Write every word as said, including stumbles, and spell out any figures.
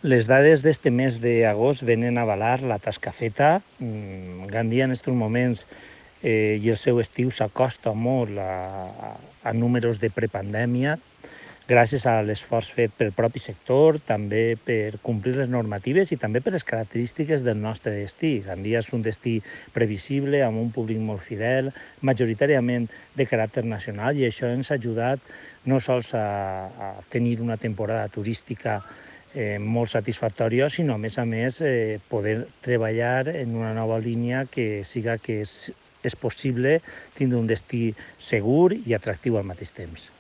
Les dades d'este mes d'agost venen a avalar la tasca feta. Gandia en aquests moments eh, i el seu estiu s'acosta molt a, a números de prepandèmia, gràcies a l'esforç fet pel propi sector, també per complir les normatives i també per les característiques del nostre destí. Gandia és un destí previsible, amb un públic molt fidel, majoritàriament de caràcter nacional, i això ens ha ajudat no sols a, a tenir una temporada turística eh, molt satisfactòria, sinó a més a més eh, poder treballar en una nova línia que siga que és, és possible tindre un destí segur i atractiu al mateix temps.